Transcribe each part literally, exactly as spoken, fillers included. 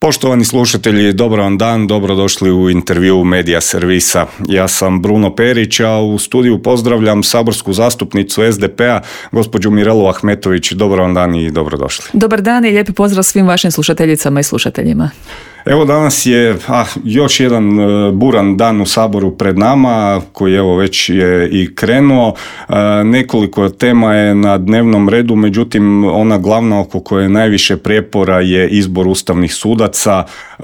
Poštovani slušatelji, dobar vam dan, dobrodošli u intervju Medija servisa. Ja sam Bruno Perić, a u studiju pozdravljam saborsku zastupnicu es de pe-a, gospođu Mirelu Ahmetović. Dobar vam dan i dobrodošli. Dobar dan i lijepi pozdrav svim vašim slušateljicama i slušateljima. Evo danas je a, još jedan e, buran dan u Saboru pred nama, koji evo već je i krenuo. E, nekoliko tema je na dnevnom redu, međutim ona glavna oko koje je najviše prijepora je izbor ustavnih sudaca. E,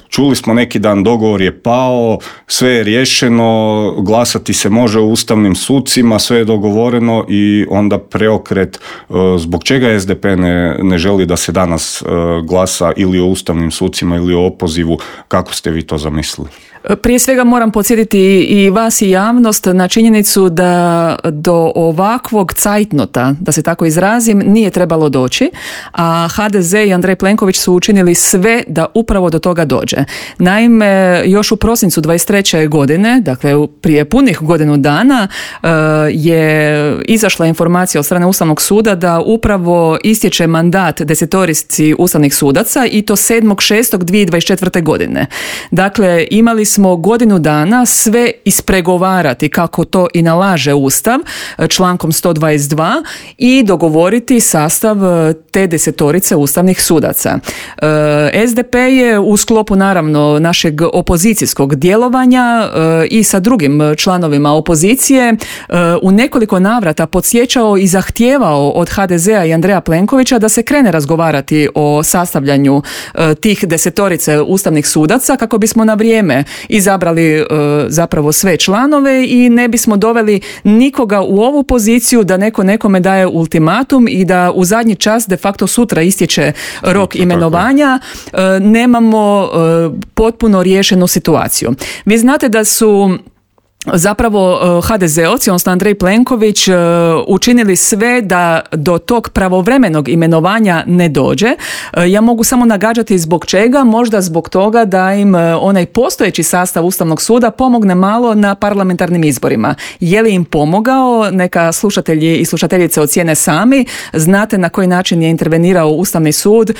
čuli smo neki dan, dogovor je pao, sve je riješeno, glasati se može o ustavnim sucima, sve je dogovoreno i onda preokret. E, zbog čega es de pe ne, ne želi da se danas e, glasa ili o ustavnim sucima ili o opozivu, kako ste vi to zamislili? Prije svega moram podsjetiti i vas i javnost na činjenicu da do ovakvog cajtnota, da se tako izrazim, nije trebalo doći, a ha de ze i Andrej Plenković su učinili sve da upravo do toga dođe. Naime, još u prosincu dvadeset treće godine, dakle prije punih godinu dana, je izašla informacija od strane Ustavnog suda da upravo istječe mandat desetorici ustavnih sudaca i to sedmog šestog dvije tisuće dvadeset četvrte. godine. Dakle, imali smo godinu dana sve ispregovarati kako to i nalaže Ustav člankom sto dvadeset dva i dogovoriti sastav te desetorice ustavnih sudaca. es de pe je u sklopu naravno našeg opozicijskog djelovanja i sa drugim članovima opozicije u nekoliko navrata podsjećao i zahtijevao od ha de zea i Andreja Plenkovića da se krene razgovarati o sastavljanju tih desetorice ustavnih sudaca kako bismo na vrijeme izabrali e, zapravo sve članove i ne bismo doveli nikoga u ovu poziciju da neko nekome daje ultimatum i da u zadnji čas, de facto sutra istječe rok imenovanja, e, nemamo e, potpuno riješenu situaciju. Vi znate da su zapravo ha de zeovci, odnosno Andrej Plenković, učinili sve da do tog pravovremenog imenovanja ne dođe. Ja mogu samo nagađati zbog čega, možda zbog toga da im onaj postojeći sastav Ustavnog suda pomogne malo na parlamentarnim izborima. Je li im pomogao? Neka slušatelji i slušateljice ocijene sami. Znate na koji način je intervenirao Ustavni sud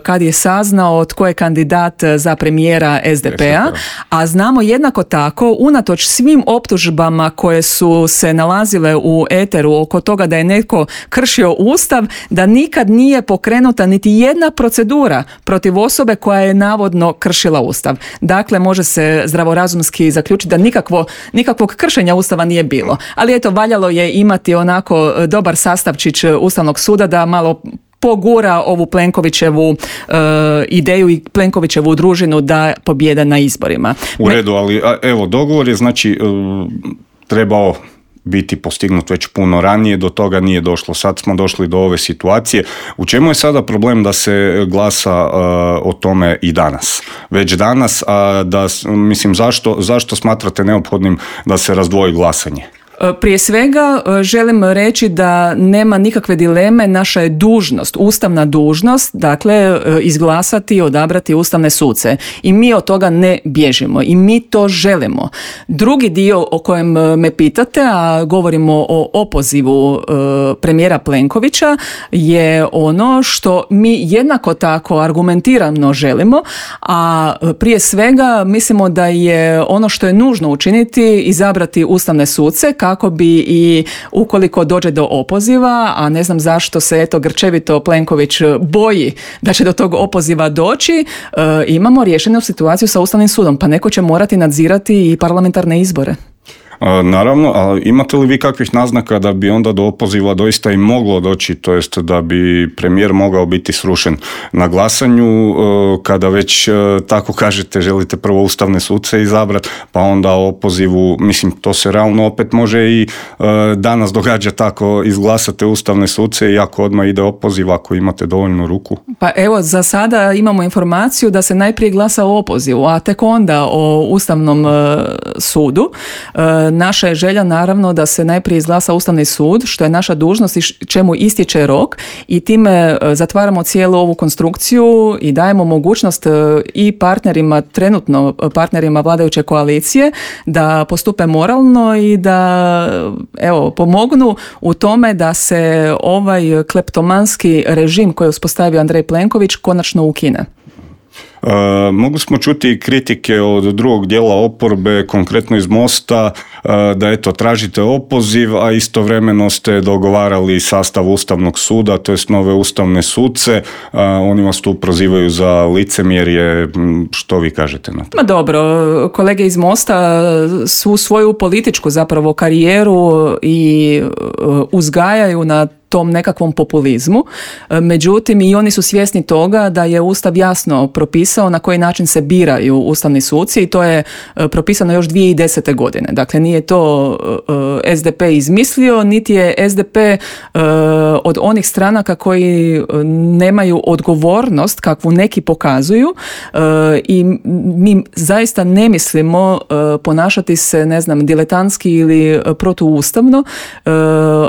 kad je saznao tko je kandidat za premijera es de pe-a, a znamo jednako tako, unatoč svim optužbama koje su se nalazile u eteru oko toga da je netko kršio Ustav, da nikad nije pokrenuta niti jedna procedura protiv osobe koja je navodno kršila Ustav. Dakle, može se zdravorazumski zaključiti da nikakvo, nikakvog kršenja Ustava nije bilo. Ali eto, valjalo je imati onako dobar sastavčić Ustavnog suda da malo pogura ovu Plenkovićevu e, ideju i Plenkovićevu družinu da pobjede na izborima. U redu, ali a, evo, dogovor je znači e, trebao biti postignut već puno ranije, do toga nije došlo. Sad smo došli do ove situacije. U čemu je sada problem da se glasa uh, o tome i danas? Već danas, a da, mislim, zašto, zašto smatrate neophodnim da se razdvoji glasanje? Prije svega želim reći da nema nikakve dileme, naša je dužnost, ustavna dužnost, dakle izglasati i odabrati ustavne suce. I mi od toga ne bježimo i mi to želimo. Drugi dio o kojem me pitate, a govorimo o opozivu premijera Plenkovića, je ono što mi jednako tako argumentirano želimo, a prije svega mislimo da je ono što je nužno učiniti izabrati ustavne suce kako bi i ukoliko dođe do opoziva, a ne znam zašto se eto grčevito Plenković boji da će do tog opoziva doći, e, imamo riješenu situaciju sa Ustavnim sudom, pa neko će morati nadzirati i parlamentarne izbore. Naravno, a imate li vi kakvih naznaka da bi onda do opoziva doista i moglo doći, to jest da bi premijer mogao biti srušen na glasanju, kada već tako kažete želite prvo ustavne suce izabrati, pa onda o opozivu, mislim to se realno opet može i danas događa tako, izglasate ustavne suce i ako odmah ide opoziv, ako imate dovoljnu ruku. Pa evo, za sada imamo informaciju da se najprije glasa o opozivu, a tek onda o Ustavnom sudu. Naša je želja naravno da se najprije izglasa Ustavni sud, što je naša dužnost i čemu istječe rok, i time zatvaramo cijelu ovu konstrukciju i dajemo mogućnost i partnerima, trenutno partnerima vladajuće koalicije, da postupe moralno i da evo pomognu u tome da se ovaj kleptomanski režim koji je uspostavio Andrej Plenković konačno ukine. E, mogli smo čuti kritike od drugog dijela oporbe, konkretno iz Mosta, e, da eto tražite opoziv, a istovremeno ste dogovarali sastav Ustavnog suda, to jest nove ustavne suce. A, oni vas tu prozivaju za licemjerje. Što vi kažete na to? Ma dobro, kolege iz Mosta su svoju političku zapravo karijeru i uzgajaju na tom nekakvom populizmu. Međutim, i oni su svjesni toga da je Ustav jasno propisao na koji način se biraju ustavni suci i to je propisano još dvije tisuće desete. godine. Dakle, nije to es de pe izmislio, niti je es de pe od onih stranaka koji nemaju odgovornost kakvu neki pokazuju i mi zaista ne mislimo ponašati se, ne znam, diletantski ili protuustavno,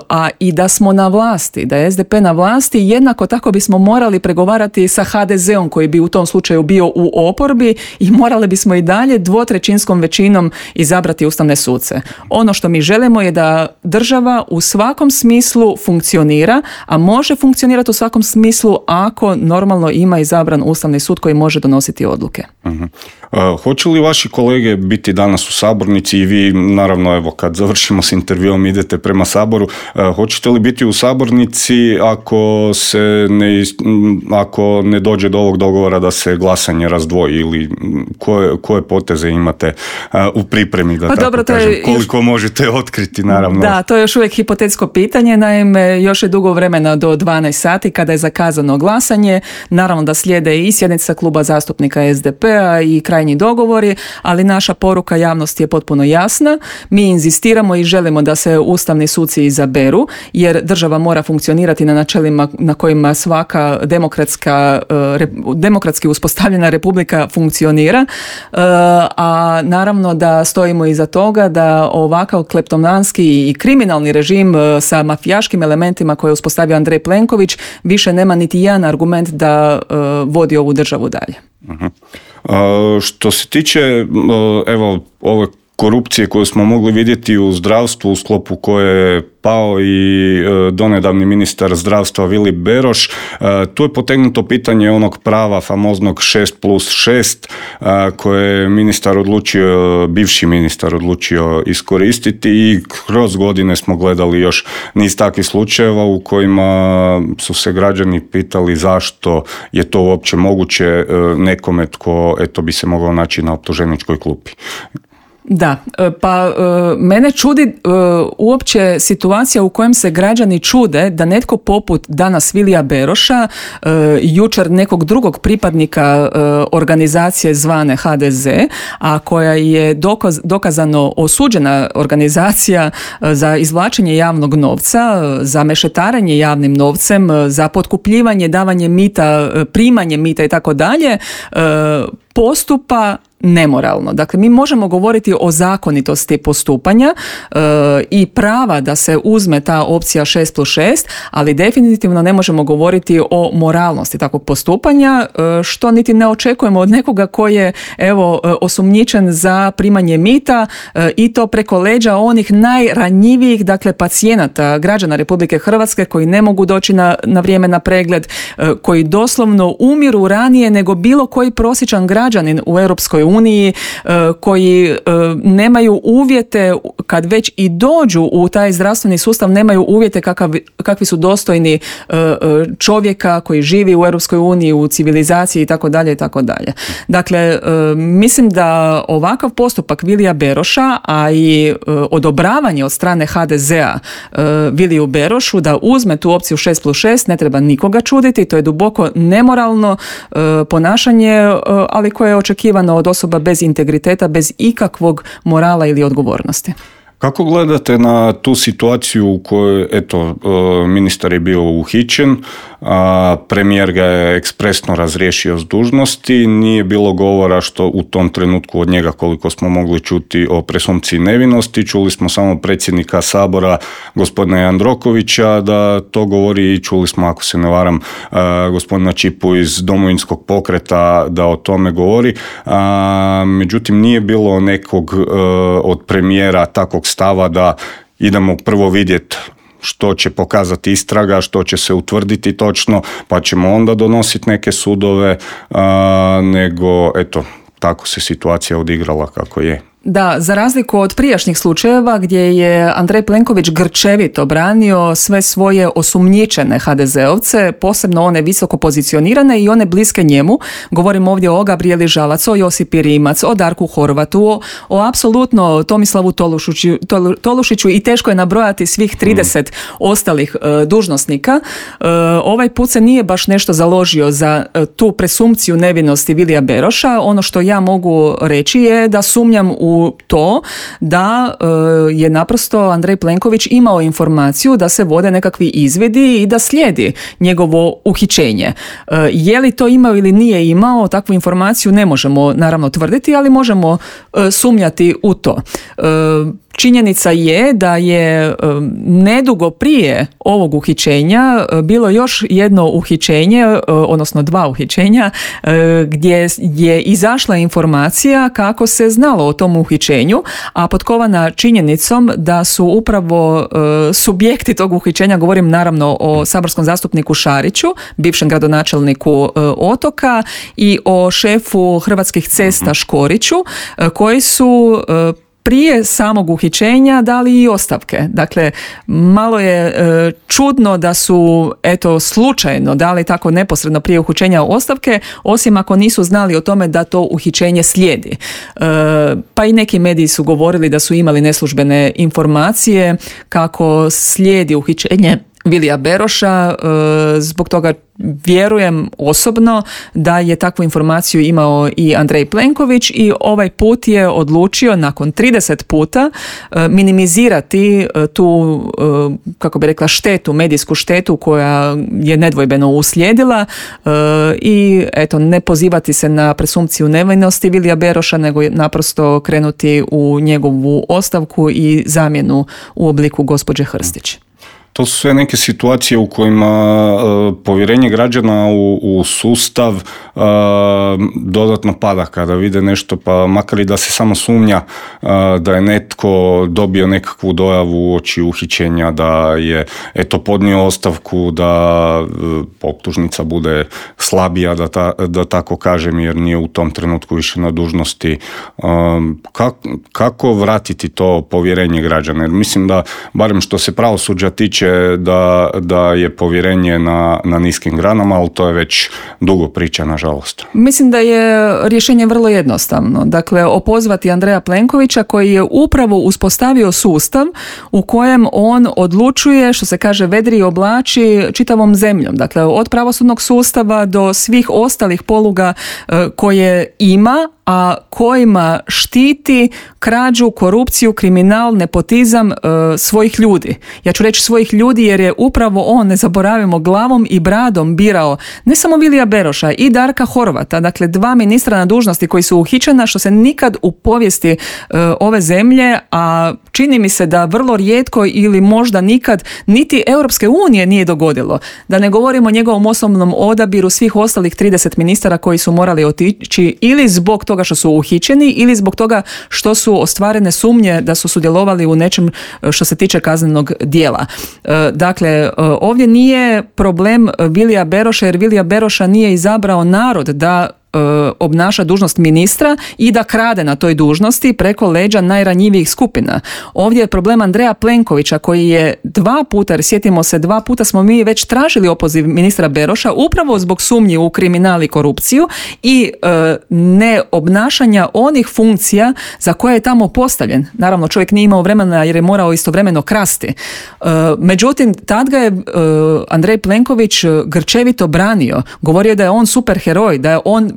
a i da smo na vlasti da je es de pe na vlasti, jednako tako bismo morali pregovarati sa ha de zeom koji bi u tom slučaju bio u oporbi i morali bismo i dalje dvotrećinskom većinom izabrati ustavne suce. Ono što mi želimo je da država u svakom smislu funkcionira, a može funkcionirati u svakom smislu ako normalno ima izabran ustavni sud koji može donositi odluke. Uh-huh. Uh, hoće li vaši kolege biti danas u sabornici i vi, naravno, evo, kad završimo s intervjuom idete prema Saboru, uh, hoćete li biti u sabornici ako se ne, ako ne dođe do ovog dogovora da se glasanje razdvoji ili koje, koje poteze imate uh, u pripremi, da pa tako dobro, kažem, je, koliko još, možete otkriti, naravno. Da, to je još uvijek hipotetsko pitanje, naime, još je dugo vremena do dvanaest sati kada je zakazano glasanje, naravno da slijede i sjednica kluba zastupnika es de pe-a i krajnji dogovori, ali naša poruka javnosti je potpuno jasna. Mi inzistiramo i želimo da se ustavni suci izaberu, jer država mora funkcionirati na načelima na kojima svaka demokratska, demokratski uspostavljena republika funkcionira, a naravno da stojimo iza toga da ovakav kleptomanski i kriminalni režim sa mafijaškim elementima koje je uspostavio Andrej Plenković više nema niti jedan argument da vodi ovu državu dalje. Uh-huh. Uh, što se tiče uh, evo ove korupcije koju smo mogli vidjeti u zdravstvu u sklopu koje je pao i uh, donedavni ministar zdravstva Vili Beroš, uh, tu je potegnuto pitanje onog prava famoznog šest plus šest uh, koje je ministar odlučio, bivši ministar odlučio iskoristiti i kroz godine smo gledali još niz takvih slučajeva u kojima su se građani pitali zašto je to uopće moguće uh, nekome tko eto bi se mogao naći na optuženičkoj klupi. Da, pa mene čudi uopće situacija u kojem se građani čude da netko poput danas Vilija Beroša, jučer nekog drugog pripadnika organizacije zvane ha de ze, a koja je dokaz, dokazano osuđena organizacija za izvlačenje javnog novca, za mešetarenje javnim novcem, za potkupljivanje, davanje mita, primanje mita i tako dalje, postupa nemoralno. Dakle, mi možemo govoriti o zakonitosti postupanja e, i prava da se uzme ta opcija šest plus šest, ali definitivno ne možemo govoriti o moralnosti takvog postupanja, e, što niti ne očekujemo od nekoga koji je evo osumnjičen za primanje mita e, i to preko leđa onih najranjivijih, dakle pacijenata, građana Republike Hrvatske koji ne mogu doći na, na vrijeme na pregled, e, koji doslovno umiru ranije nego bilo koji prosječan građanin u Europskoj uniji, koji nemaju uvjete kad već i dođu u taj zdravstveni sustav, nemaju uvjete kakav, kakvi su dostojni čovjeka koji živi u Europskoj uniji, u civilizaciji i tako dalje i tako dalje. Dakle, mislim da ovakav postupak Vilija Beroša, a i odobravanje od strane ha de zea Viliju Berošu da uzme tu opciju šest plus šest ne treba nikoga čuditi, to je duboko nemoralno ponašanje, ali koje je očekivano od osoba bez integriteta, bez ikakvog morala ili odgovornosti. Kako gledate na tu situaciju u kojoj, eto, ministar je bio uhićen, a premijer ga je ekspresno razriješio s dužnosti, nije bilo govora što u tom trenutku od njega, koliko smo mogli čuti, o presumpciji nevinosti, čuli smo samo predsjednika Sabora, gospodina Jandrokovića, da to govori i čuli smo, ako se ne varam, gospodina Čipu iz Domovinskog pokreta da o tome govori, a, međutim nije bilo nekog od premijera takvog stava da idemo prvo vidjeti što će pokazati istraga, što će se utvrditi točno, pa ćemo onda donositi neke sudove, a, nego eto, tako se situacija odigrala kako je. Da, za razliku od prijašnjih slučajeva gdje je Andrej Plenković grčevito branio sve svoje osumnjičene ha de zeovce, posebno one visoko pozicionirane i one bliske njemu, govorim ovdje o Gabrijeli Žalac, o Josipi Rimac, o Darku Horvatu, o, o apsolutno Tomislavu Tolušiću, Tolušiću i teško je nabrojati svih trideset mm. ostalih uh, dužnosnika. Uh, ovaj put se nije baš nešto založio za uh, tu presumpciju nevinosti Vilija Beroša. Ono što ja mogu reći je da sumnjam u u to da e, je naprosto Andrej Plenković imao informaciju da se vode nekakvi izvidi i da slijedi njegovo uhićenje. E, je li to imao ili nije imao, takvu informaciju ne možemo naravno tvrditi, ali možemo e, sumnjati u to. E, Činjenica je da je nedugo prije ovog uhićenja bilo još jedno uhićenje, odnosno dva uhićenja, gdje je izašla informacija kako se znalo o tom uhićenju, a potkovana činjenicom da su upravo subjekti tog uhićenja, govorim naravno o saborskom zastupniku Šariću, bivšem gradonačelniku Otoka, i o šefu Hrvatskih cesta Škoriću, koji su prije samog uhićenja dali i ostavke. Dakle, malo je e, čudno da su eto slučajno dali tako neposredno prije uhićenja ostavke, osim ako nisu znali o tome da to uhićenje slijedi. E, pa i neki mediji su govorili da su imali neslužbene informacije kako slijedi uhićenje Vilija Beroša, zbog toga vjerujem osobno da je takvu informaciju imao i Andrej Plenković i ovaj put je odlučio nakon trideset puta minimizirati tu, kako bi rekla, štetu, medijsku štetu koja je nedvojbeno uslijedila i eto, ne pozivati se na presumpciju nevinosti Vilija Beroša, nego naprosto krenuti u njegovu ostavku i zamjenu u obliku gospođe Hrstić. To su sve neke situacije u kojima uh, povjerenje građana u, u sustav uh, dodatno pada kada vide nešto, pa makar i da se samo sumnja uh, da je netko dobio nekakvu dojavu uoči uhićenja, da je eto podnio ostavku, da uh, optužnica bude slabija, da, ta, da tako kažem, jer nije u tom trenutku više na dužnosti. Um, kak, kako vratiti to povjerenje građana? Jer mislim da, barem što se pravosuđa tiče, Da, da je povjerenje na, na niskim granama, ali to je već dugo priča, nažalost. Mislim da je rješenje vrlo jednostavno. Dakle, opozvati Andreja Plenkovića koji je upravo uspostavio sustav u kojem on odlučuje, što se kaže, vedri i oblači čitavom zemljom. Dakle, od pravosudnog sustava do svih ostalih poluga koje ima, a kojima štiti krađu, korupciju, kriminal, nepotizam e, svojih ljudi. Ja ću reći svojih ljudi jer je upravo on, ne zaboravimo, glavom i bradom birao ne samo Vilija Beroša i Darka Horvata, dakle dva ministra na dužnosti koji su uhićena, što se nikad u povijesti e, ove zemlje, a čini mi se da vrlo rijetko ili možda nikad niti Europske unije nije dogodilo. Da ne govorimo o njegovom osobnom odabiru svih ostalih trideset ministara koji su morali otići ili zbog toga što su uhićeni ili zbog toga što su ostvarene sumnje da su sudjelovali u nečem što se tiče kaznenog djela. Dakle, ovdje nije problem Vilija Beroša, jer Vilija Beroša nije izabrao narod da obnaša dužnost ministra i da krade na toj dužnosti preko leđa najranjivijih skupina. Ovdje je problem Andreja Plenkovića koji je dva puta, jer sjetimo se, dva puta smo mi već tražili opoziv ministra Beroša upravo zbog sumnji u kriminal i korupciju i e, ne obnašanja onih funkcija za koje je tamo postavljen. Naravno, čovjek nije imao vremena jer je morao istovremeno krasti. E, međutim, tad ga je e, Andrej Plenković grčevito branio. Govorio da je on superheroj, da je on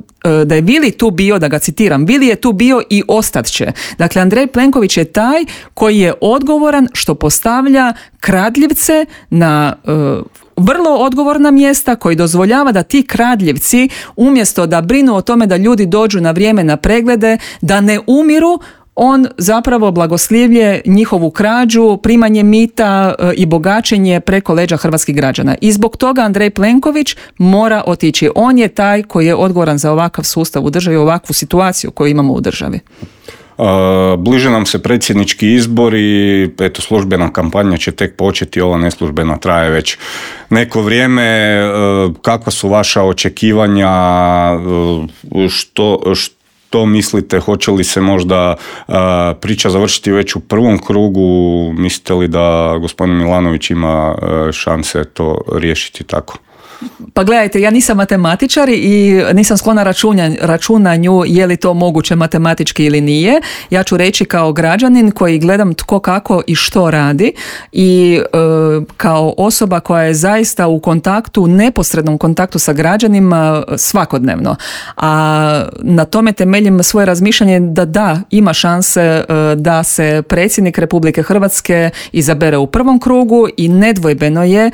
da je Vili tu bio, da ga citiram, Vili je tu bio i ostat će. Dakle, Andrej Plenković je taj koji je odgovoran što postavlja kradljivce na uh, vrlo odgovorna mjesta, koji dozvoljava da ti kradljivci, umjesto da brinu o tome da ljudi dođu na vrijeme na preglede, da ne umiru, on zapravo blagoslivlje njihovu krađu, primanje mita i bogaćenje preko leđa hrvatskih građana. I zbog toga Andrej Plenković mora otići. On je taj koji je odgovoran za ovakav sustav u državi, ovakvu situaciju koju imamo u državi. Bliže nam se predsjednički izbori, eto službena kampanja će tek početi, ova neslužbena traje već neko vrijeme. Kakva su vaša očekivanja, što, što mislite, hoće li se možda priča završiti već u prvom krugu, mislite li da gospodin Milanović ima šanse to riješiti tako? Pa gledajte, ja nisam matematičar i nisam sklona računanju, računanju je li to moguće matematički ili nije. Ja ću reći kao građanin koji gledam tko kako i što radi i e, kao osoba koja je zaista u kontaktu, neposrednom kontaktu sa građanima svakodnevno. A na tome temeljim svoje razmišljanje da da, ima šanse e, da se predsjednik Republike Hrvatske izabere u prvom krugu i nedvojbeno je e,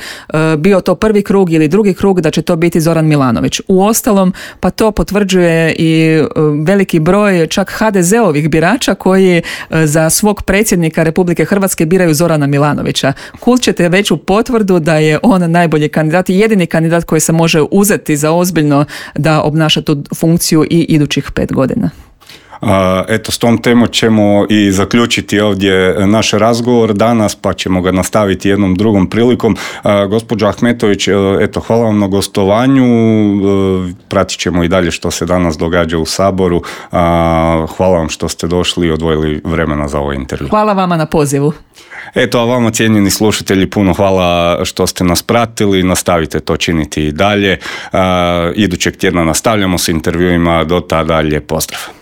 bio to prvi krug ili drugi krug da će to biti Zoran Milanović. Uostalom, pa to potvrđuje i veliki broj čak ha de zeovih birača koji za svog predsjednika Republike Hrvatske biraju Zorana Milanovića. Kult ćete veću potvrdu da je on najbolji kandidat i jedini kandidat koji se može uzeti za ozbiljno da obnaša tu funkciju i idućih pet godina. Eto, s tom temom ćemo i zaključiti ovdje naš razgovor danas, pa ćemo ga nastaviti jednom drugom prilikom. Gospođo Ahmetović, eto, hvala vam na gostovanju, pratit ćemo i dalje što se danas događa u Saboru. Hvala vam što ste došli i odvojili vremena za ovaj intervju. Hvala vama na pozivu. Eto, a vama cijenjeni slušatelji, puno hvala što ste nas pratili, nastavite to činiti i dalje. Idućeg tjedna nastavljamo s intervjuima, do tada lijep pozdrav.